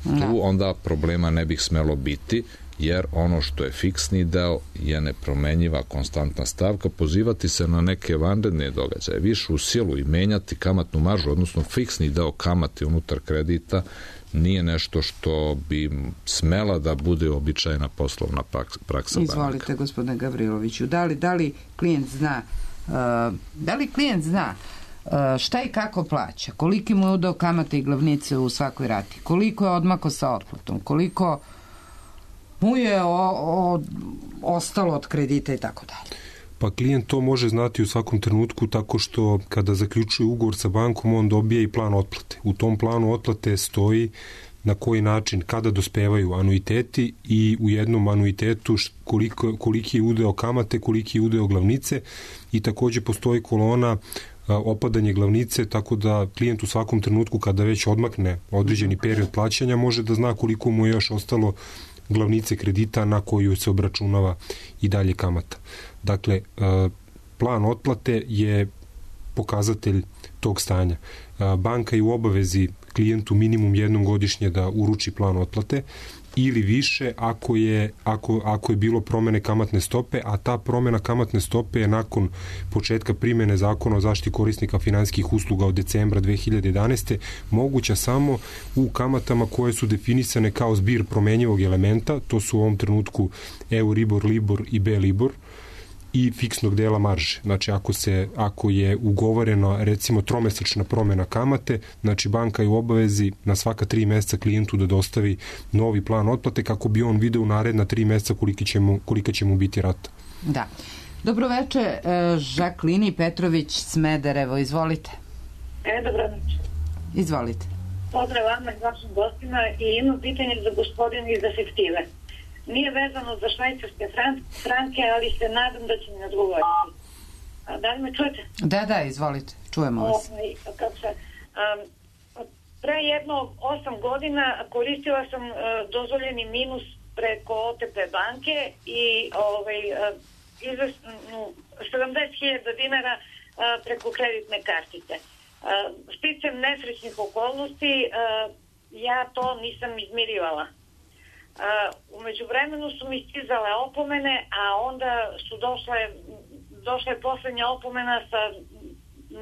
Da. Tu onda problema ne bih smelo biti, jer ono što je fiksni deo je nepromenjiva konstantna stavka. Pozivati se na neke vanredne događaje, više u silu i menjati kamatnu maržu, odnosno fiksni deo kamate unutar kredita, nije nešto što bi smela da bude običajna poslovna praksa. Izvolite, banaka. Gospodine Gavriloviću, da li, da li klijent zna uh, da li klijent zna uh, šta i kako plaća, koliki mu je udeo kamate i glavnice u svakoj rati, koliko je odmako sa otplatom, koliko mu je o, o, ostalo od kredita i tako dalje. Pa klijent to može znati u svakom trenutku tako što kada zaključuje ugovor sa bankom on dobije i plan otplate. U tom planu otplate stoji na koji način, kada dospevaju anuiteti i u jednom anuitetu koliko, koliki je udeo kamate, koliki je udeo glavnice i takođe postoji kolona opadanje glavnice, tako da klijent u svakom trenutku kada već odmakne određeni period plaćanja može da zna koliko mu je još ostalo glavnice kredita na koju se obračunava i dalje kamata. Dakle, plan otplate je pokazatelj tog stanja. Banka je u obavezi klijentu minimum jednom godišnje da uruči plan otplate ili više ako je, ako, ako je bilo promene kamatne stope, a ta promena kamatne stope je nakon početka primene zakona o zaštiti korisnika finansijskih usluga od decembra dve hiljade jedanaeste moguća samo u kamatama koje su definisane kao zbir promenjivog elementa, to su u ovom trenutku Euribor, Libor i B-Libor, i fiksnog dela marže. Znači, ako, se, ako je ugovorena recimo tromesečna promena kamate, znači banka je u obavezi na svaka tri meseca klijentu da dostavi novi plan otplate kako bi on video u naredna tri meseca kolika će mu, kolika će mu biti rata. Da. Dobroveče, Žaklini Petrović, Smederevo, izvolite. E, dobro noć. Izvolite. Pozdrav vama i vašim gostima i imam pitanje za gospodina iz efektive. Nije vezano za švajcarske franke, ali se nadam da će mi odgovoriti. A, da li me čujete? Da, da, izvolite, čujemo vas. O, kako se, um, pre jedno osam godina koristila sam uh, dozvoljeni minus preko O T P banke i ovaj, uh, izvesno sedamdeset hiljada dinara uh, preko kreditne kartice. Uh, sticam nesrećnih okolnosti, uh, ja to nisam izmirivala. Uh, umeđu vremenu su mi stizale opomene, a onda su došle, došle poslednja opomena sa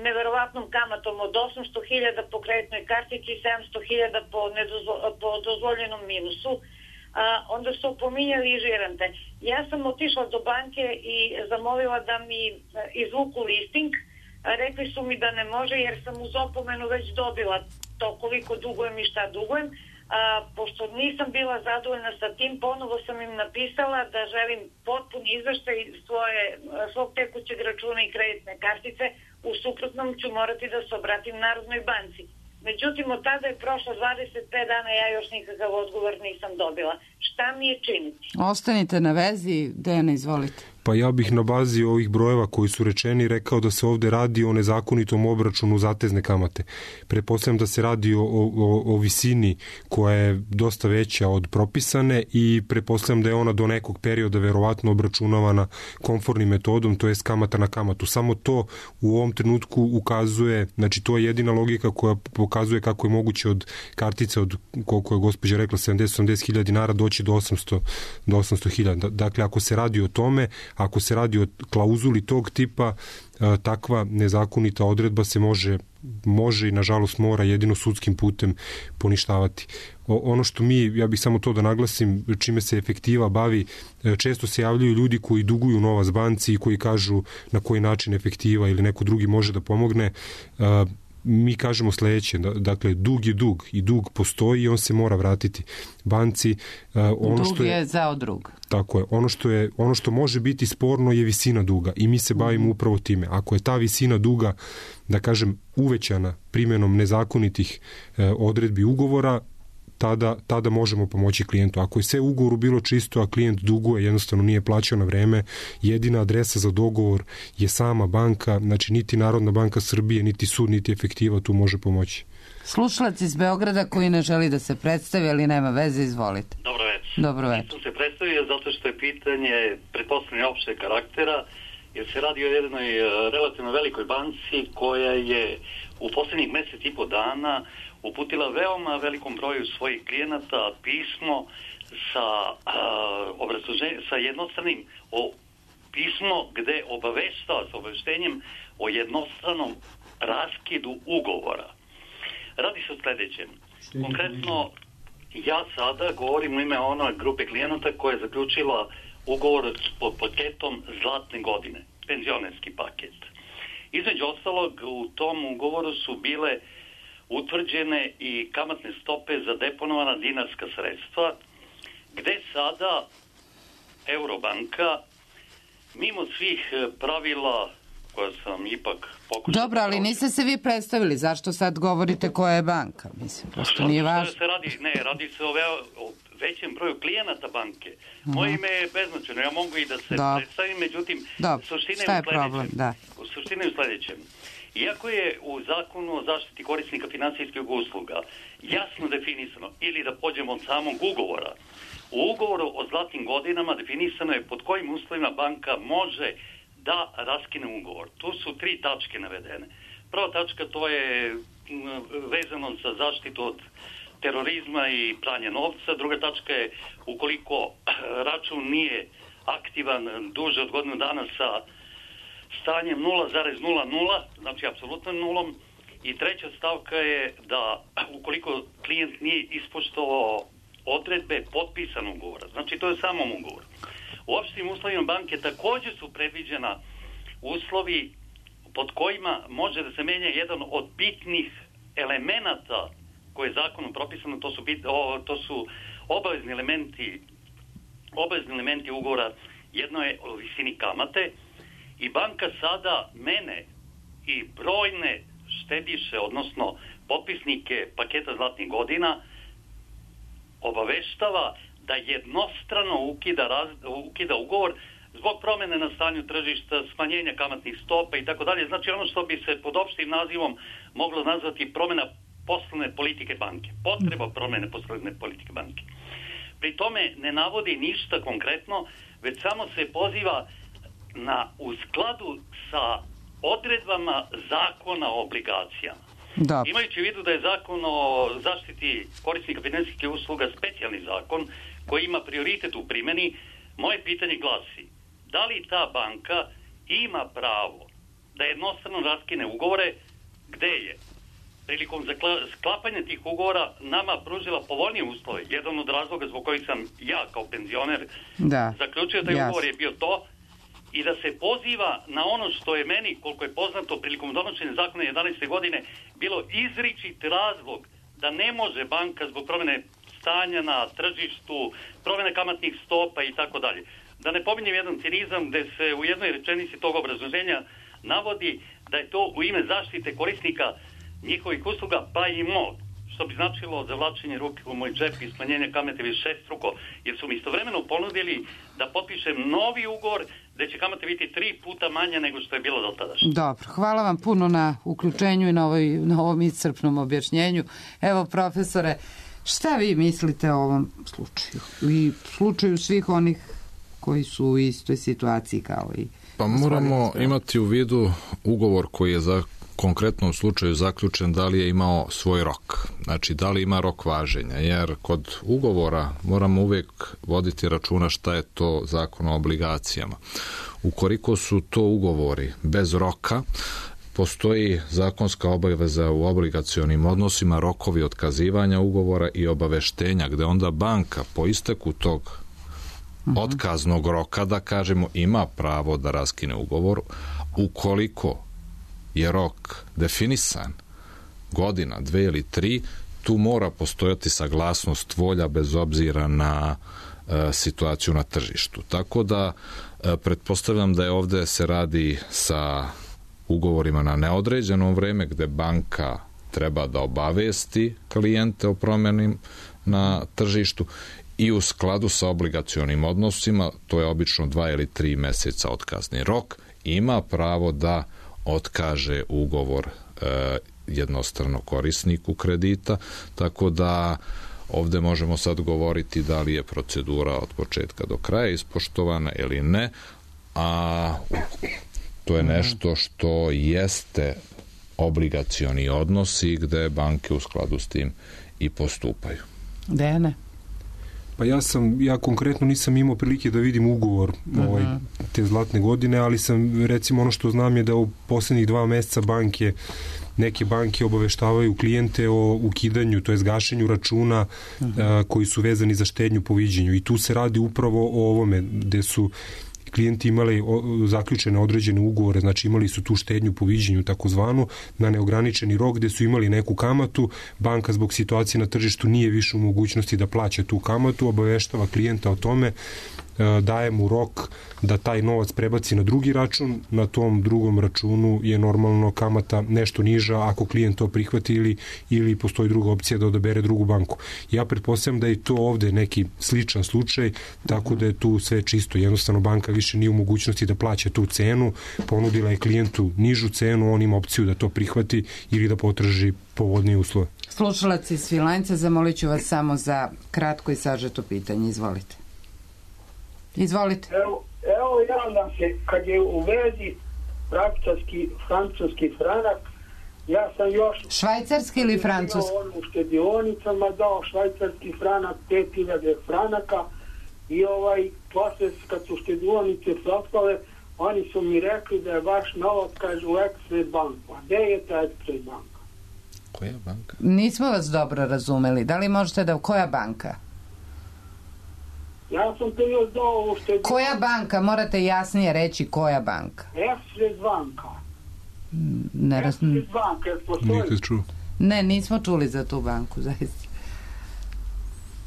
neverovatnom kamatom od osamsto hiljada po kreditnoj kartici i sedamsto hiljada po, nedozvo, po dozvoljenom minusu. Uh, onda su opominjali i žirante. Ja sam otišla do banke i zamolila da mi izvuku listing. Uh, rekli su mi da ne može jer sam uz opomenu već dobila to koliko dugujem i šta dugujem. A, pošto nisam bila zadovoljna sa tim, ponovo sam im napisala da želim potpuni izveštaj svoje, svog tekućeg računa i kreditne kartice, u suprotnom ću morati da se obratim Narodnoj banci. Međutim, od tada je prošlo dvadeset pet dana, ja još nikakav odgovor nisam dobila. Šta mi je činiti? Ostanite na vezi, Dejana, izvolite. Pa ja bih na bazi ovih brojeva koji su rečeni rekao da se ovde radi o nezakonitom obračunu zatezne kamate. Pretpostavljam da se radi o, o, o visini koja je dosta veća od propisane i pretpostavljam da je ona do nekog perioda verovatno obračunavana konformnim metodom, to jest kamata na kamatu. Samo to u ovom trenutku ukazuje, znači to je jedina logika koja pokazuje kako je moguće od kartice od, koliko je gospođa rekla, sedamdeset do osamdeset hiljada dinara doći do osamsto do osamsto hiljada. Dakle, ako se radi o tome, ako se radi o klauzuli tog tipa, takva nezakonita odredba se može, može i nažalost mora jedino sudskim putem poništavati. Ono što mi, ja bih samo to da naglasim, čime se efektiva bavi, često se javljaju ljudi koji duguju novac banci i koji kažu na koji način efektiva ili neko drugi može da pomogne. Mi kažemo sledeće, dakle, dug je dug i dug postoji i on se mora vratiti banci. Ono dug što je, je zao drug. Tako je. Ono što, je, ono što može biti sporno je visina duga i mi se bavimo upravo time. Ako je ta visina duga, da kažem, uvećana primjenom nezakonitih odredbi ugovora, tada, tada možemo pomoći klijentu. Ako je sve u ugovoru bilo čisto, a klijent duguje, jednostavno nije plaćao na vreme, jedina adresa za dogovor je sama banka, znači niti Narodna banka Srbije, niti sud, niti efektiva tu može pomoći. Slušalac iz Beograda koji ne želi da se predstavi, ali nema veze, izvolite. Dobro večer. Dobro večer. Nisam se predstavio zato što je pitanje pretpostavljanja opšteg karaktera jer se radi o jednoj relativno velikoj banci koja je u posljednjih mjesec i po dana uputila veoma velikom broju svojih klijenata pismo sa, uh, sa jednostranim o, pismo gde obaveštava s obaveštenjem o jednostranom raskidu ugovora. Radi se o sljedećem. Konkretno, ja sada govorim u ime one grupe klijenata koja je zaključila ugovor pod paketom Zlatne godine, penzionerski paket. Između ostalog, u tom ugovoru su bile utvrđene i kamatne stope za deponovana dinarska sredstva, gde sada Eurobanka, mimo svih pravila koja sam ipak pokušao... Dobro, ali niste se vi predstavili. Zašto sad govorite koja je banka? Mislim, pošto nije važno. Se radi, ne, radi se o, ve, o većem broju klijenata banke. Moje ime je beznačajno. Ja mogu i da se Dobre. predstavim, međutim, Dobre. suština Šta je je u sljedećem. problem? Da. U suštini je u sljedećem. Iako je u zakonu o zaštiti korisnika finansijskih usluga jasno definisano, ili da pođemo od samog ugovora, u ugovoru o zlatnim godinama definisano je pod kojim uslovima banka može da raskine ugovor. Tu su tri tačke navedene. Prva tačka, to je vezano za zaštitu od terorizma i pranja novca. Druga tačka je ukoliko račun nije aktivan duže od godinu dana sa stanjem nula zarez nula nula, znači apsolutnom nulom. I treća stavka je da ukoliko klijent nije ispoštovao odredbe potpisanog ugovora, znači to je samom ugovor. U opštim uslovima banke također su predviđena uslovi pod kojima može da se menja jedan od bitnih elemenata koje je zakonom propisano, to su, bit, o, to su obavezni elementi, obavezni elementi ugovora. Jedno je o visini kamate i banka sada mene i brojne štediše, odnosno potpisnike paketa zlatnih godina obaveštava da jednostrano ukida, raz, ukida ugovor zbog promjene na stanju tržišta, smanjenja kamatnih stopa i tako dalje. Znači ono što bi se pod opštim nazivom moglo nazvati promjena poslovne politike banke. Potreba promjene poslovne politike banke. Pri tome ne navodi ništa konkretno, već samo se poziva na u skladu sa odredbama zakona o obligacijama. Da. Imajući u vidu da je zakon o zaštiti korisnika finansijskih usluga specijalni zakon koji ima prioritet u primjeni, moje pitanje glasi: da li ta banka ima pravo da jednostrano raskine ugovore? Gde je prilikom sklapanja tih ugovora nama pružila povoljnije uslove? Jedan od razloga zbog kojih sam ja kao penzioner da. zaključio da je ugovor je bio to, i da se poziva na ono što je meni, koliko je poznato, prilikom donošenja zakona jedanaeste godine bilo izričit razlog da ne može banka zbog promjene stanja na tržištu, promjene kamatnih stopa i tako dalje. Da ne pominjem jedan cinizam gde se u jednoj rečenici tog obrazloženja navodi da je to u ime zaštite korisnika njihovih usluga, pa i mog, što bi značilo zavlačenje ruke u moj džep i smanjenje kamate višestruko, jer su mi istovremeno ponudili da potpišem novi ugovor gde će kamate biti tri puta manja nego što je bilo do tada. Dobro, hvala vam puno na uključenju i na, ovoj, na ovom iscrpnom objašnjenju. Evo, profesore, šta vi mislite o ovom slučaju i slučaju svih onih koji su u istoj situaciji kao i... Pa moramo imati u vidu ugovor koji je za konkretnom slučaju zaključen, da li je imao svoj rok. Znači, da li ima rok važenja, jer kod ugovora moramo uvijek voditi računa šta je to zakon o obligacijama. Ukoliko su to ugovori bez roka, postoji zakonska obaveza u obligacionim odnosima, rokovi otkazivanja ugovora i obaveštenja, gde onda banka po isteku tog otkaznog roka, da kažemo, ima pravo da raskine ugovor. Ukoliko je rok definisan, godina, dve ili tri, tu mora postojati saglasnost volja bez obzira na e, situaciju na tržištu. Tako da e, pretpostavljam da je ovde se radi sa ugovorima na neodređeno vreme gde banka treba da obavesti klijente o promjeni na tržištu i u skladu sa obligacionim odnosima, to je obično dva ili tri meseca otkazni rok, ima pravo da otkaže ugovor e, jednostrano korisniku kredita, tako da ovde možemo sad govoriti da li je procedura od početka do kraja ispoštovana ili ne, a to je nešto što jeste obligacioni odnosi gde banke u skladu s tim i postupaju. Dejane? Pa ja sam, ja konkretno nisam imao prilike da vidim ugovor uh-huh. ovaj, te zlatne godine, ali sam, recimo, ono što znam je da u poslednjih dva meseca banke, neke banke obaveštavaju klijente o ukidanju, to je gašenju računa uh-huh. a, koji su vezani za štednju po viđenju. I tu se radi upravo o ovome, gde su klijenti imali zaključene određene ugovore, znači imali su tu štednju po viđenju takozvanu na neograničeni rok gde su imali neku kamatu, banka zbog situacije na tržištu nije više u mogućnosti da plaća tu kamatu, obaveštava klijenta o tome, daje mu rok da taj novac prebaci na drugi račun, na tom drugom računu je normalno kamata nešto niža ako klijent to prihvati ili, ili postoji druga opcija da odabere drugu banku. Ja pretpostavljam da je to ovde neki sličan slučaj, tako da je tu sve čisto. Jednostavno banka više nije u mogućnosti da plaća tu cenu, ponudila je klijentu nižu cenu, on ima opciju da to prihvati ili da potraži povodnije uslove. Slušalac iz Svilajnca, zamolit ću vas samo za kratko i sažeto pitanje. Izvolite. Izvolite. Evo, evo javljam se, kad je u vezi praktički francuski franak, ja sam još... Švajcarski ili francuski? U štedionicama dao švajcarski franak, pet hiljada franaka i ovaj, posle kad su štedionice propale, oni su mi rekli da je vaš novac, kaže, u Express banku. A gde je ta Express banka? Koja banka? Nismo vas dobro razumeli. Da li možete da... Koja banka? Ja sam to još dao u štedionicu. Koja banka? Morate jasnije reći koja banka. Express banka. Ne raz... Express banka, jer postoji. Nikad čuo. Ne, nismo čuli za tu banku, zaista.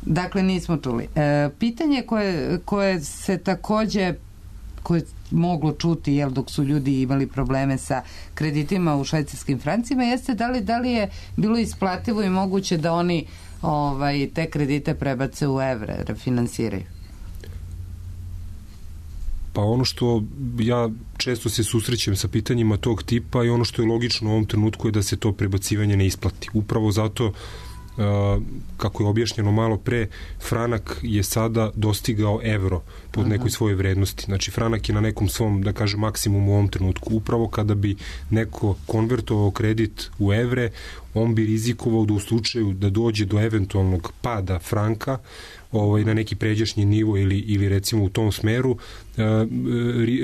Dakle, nismo čuli. E, pitanje koje, koje se takođe koje moglo čuti, jel, dok su ljudi imali probleme sa kreditima u švajcarskim francima, jeste da li, da li je bilo isplativo i moguće da oni ovaj, te kredite prebace u evre, refinansiraju? Pa ono što ja često se susrećem sa pitanjima tog tipa i ono što je logično u ovom trenutku je da se to prebacivanje ne isplati. Upravo zato Uh, kako je objašnjeno malo pre, franak je sada dostigao evro pod nekoj svojoj vrednosti. Znači, franak je na nekom svom, da kažem, maksimumu u ovom trenutku. Upravo kada bi neko konvertovao kredit u evre, on bi rizikovao da u slučaju da dođe do eventualnog pada franka ovaj, na neki pređašnji nivo ili, ili recimo u tom smeru,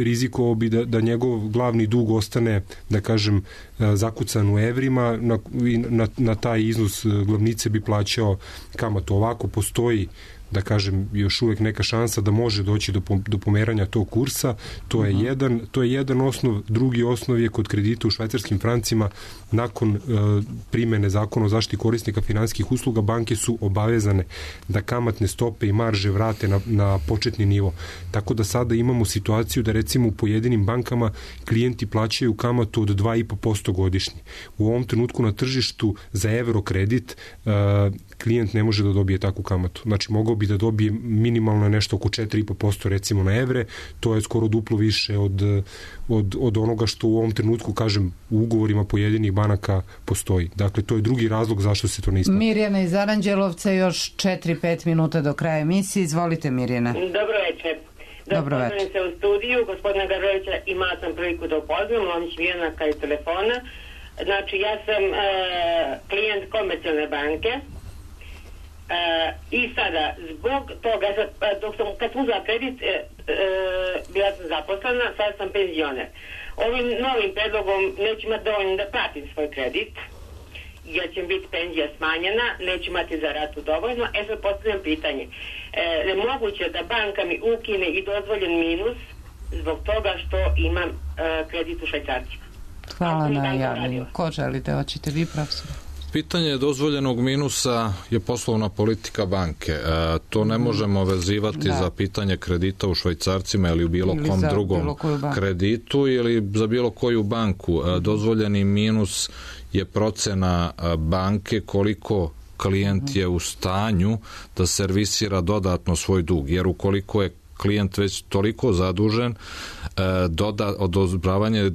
rizikovao bi da, da njegov glavni dug ostane, da kažem, zakucan u evrima, na, na, na taj iznos glavnice bi plaćao kamatu. Ovako postoji, da kažem, još uvek neka šansa da može doći do, do pomeranja tog kursa. To je, uh-huh. jedan, to je jedan osnov. Drugi osnov je kod kredita u švajcarskim francima. Nakon uh, primene zakona o zaštiti korisnika finansijskih usluga, banke su obavezane da kamatne stope i marže vrate na, na početni nivo. Tako da sada imamo situaciju da recimo u pojedinim bankama klijenti plaćaju kamatu od dva i po posto godišnje. U ovom trenutku na tržištu za evro kredit uh, klijent ne može da dobije takvu kamatu. Znači, mogao bi da dobije minimalno nešto oko četiri i po posto recimo na evre, to je skoro duplo više od, od, od onoga što u ovom trenutku, kažem, u ugovorima pojedinih banaka postoji. Dakle, to je drugi razlog zašto se to ne isplati. Mirjana iz Aranđelovca, još četiri pet minuta do kraja emisije. Izvolite, Mirjana. Dobro večer. Dobro večer. se u studiju, gospodina Gavrovića, imala sam priliku da upoznam, Lomić Mirjana kaj telefona. Znači, ja sam e, klijent komercijalne banke. Uh, i sada, zbog toga, dok sam, kad sam uzela kredit, uh, uh, bila sam zaposlena, sad sam penzioner. Ovim novim predlogom neću imati dovoljno da platim svoj kredit, jer će biti penzija smanjena, neću imati za ratu dovoljno. E sad postavljam pitanje, uh, je moguće da banka mi ukine i dozvoljen minus zbog toga što imam uh, kredit u švajcarcima? Hvala na javljanju. Ko želite, hoćete vi, profesor? Pitanje dozvoljenog minusa je poslovna politika banke. E, to ne možemo vezivati da. za pitanje kredita u švajcarcima ili u bilo ili kom drugom bilo kreditu ili za bilo koju banku. E, dozvoljeni minus je procena banke koliko klijent je u stanju da servisira dodatno svoj dug. Jer ukoliko je klijent već toliko zadužen, e, doda, odobravanje e,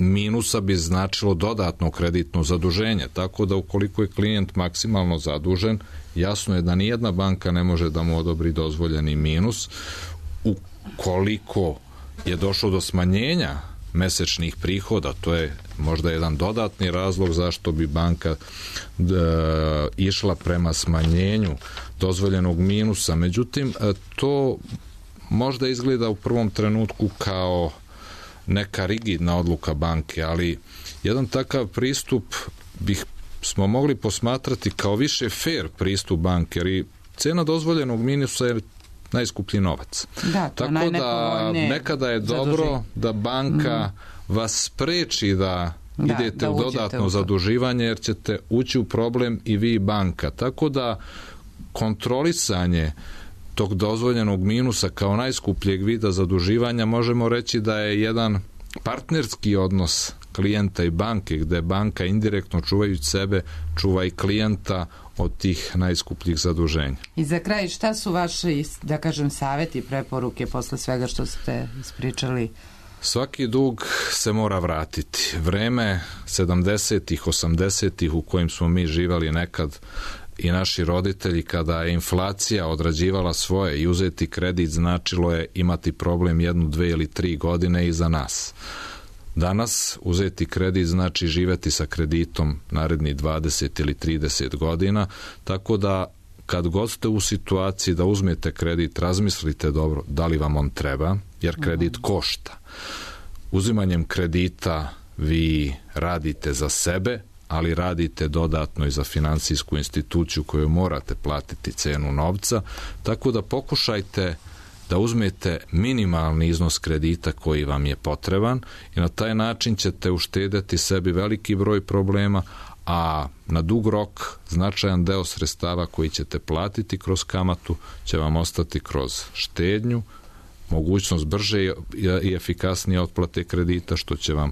minusa bi značilo dodatno kreditno zaduženje, tako da ukoliko je klijent maksimalno zadužen, jasno je da nijedna banka ne može da mu odobri dozvoljeni minus. Ukoliko je došlo do smanjenja mesečnih prihoda. To je možda jedan dodatni razlog zašto bi banka da, išla prema smanjenju dozvoljenog minusa. Međutim, to možda izgleda u prvom trenutku kao neka rigidna odluka banke, ali jedan takav pristup bih smo mogli posmatrati kao više fair pristup banke, jer i cena dozvoljenog minusa je najskuplji novac. Da, to tako da nekada je dobro zaduži. Da banka mm. vas spreči da, da idete da u dodatno u zaduživanje, jer ćete ući u problem i vi i banka. Tako da kontrolisanje tog dozvoljenog minusa kao najskupljeg vida zaduživanja možemo reći da je jedan partnerski odnos klijenta i banke, gde banka indirektno čuvajući sebe čuva i klijenta od tih najskupljih zaduženja. I za kraj, šta su vaši, da kažem, savjeti, preporuke posle svega što ste ispričali? Svaki dug se mora vratiti. Vreme sedamdesetih, osamdesetih u kojim smo mi živali nekad i naši roditelji, kada je inflacija odrađivala svoje i uzeti kredit značilo je imati problem jednu, dve ili tri godine iza nas. Danas uzeti kredit znači živeti sa kreditom naredni dvadeset ili trideset godina, tako da kad god ste u situaciji da uzmete kredit, razmislite dobro da li vam on treba, jer kredit košta. Uzimanjem kredita vi radite za sebe, ali radite dodatno i za finansijsku instituciju koju morate platiti cenu novca, tako da pokušajte da uzmete minimalni iznos kredita koji vam je potreban i na taj način ćete uštedeti sebi veliki broj problema, a na dug rok značajan deo sredstava koji ćete platiti kroz kamatu će vam ostati kroz štednju, mogućnost brže i efikasnije otplate kredita, što će vam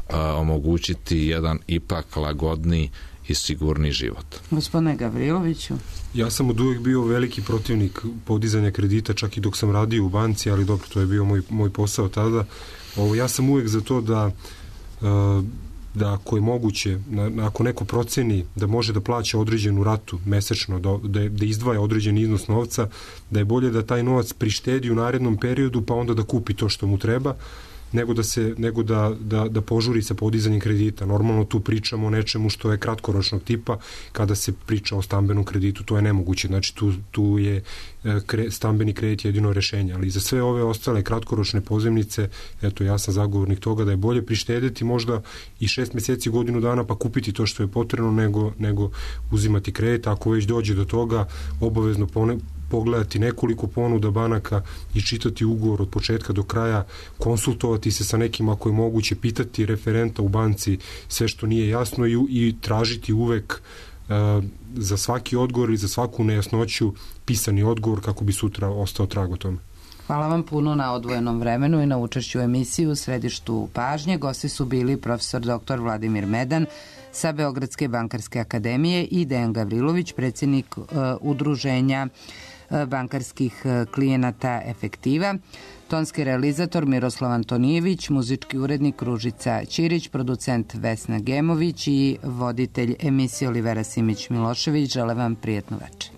a, omogućiti jedan ipak lagodniji i sigurni život. Gospodine Gavriloviću? Ja sam od uvijek bio veliki protivnik podizanja kredita, čak i dok sam radio u banci, ali dobro, to je bio moj, moj posao tada. Ovo, ja sam uvijek za to da da ako je moguće, ako neko proceni da može da plaća određenu ratu mesečno, da, da, da izdvaja određen iznos novca, da je bolje da taj novac prištedi u narednom periodu, pa onda da kupi to što mu treba, nego da se nego da, da, da požuri sa podizanjem kredita. Normalno tu pričamo o nečemu što je kratkoročnog tipa. Kada se priča o stambenom kreditu, to je nemoguće. Znači tu, tu je kre, stambeni kredit jedino rešenje. Ali za sve ove ostale kratkoročne pozemnice, eto, ja sam zagovornik toga da je bolje prištedeti možda i šest meseci, godinu dana, pa kupiti to što je potrebno, nego, nego uzimati kredit. Ako već dođe do toga, obavezno pone, pogledati nekoliko ponuda banaka i čitati ugovor od početka do kraja, konsultovati se sa nekim ako je moguće, pitati referenta u banci sve što nije jasno i, i tražiti uvek uh, za svaki odgovor i za svaku nejasnoću pisani odgovor kako bi sutra ostao trag o tome. Hvala vam puno na odvojenom vremenu i na učešću u emisiju u središtu pažnje. Gosti su bili profesor doktor Vladimir Medan sa Beogradske bankarske akademije i Dejan Gavrilović, predsjednik uh, udruženja bankarskih klijenata Efektiva, tonski realizator Miroslav Antonijević, muzički urednik Ružica Ćirić, producent Vesna Gemović i voditelj emisije Olivera Simić Milošević. Žele vam prijetnu večer.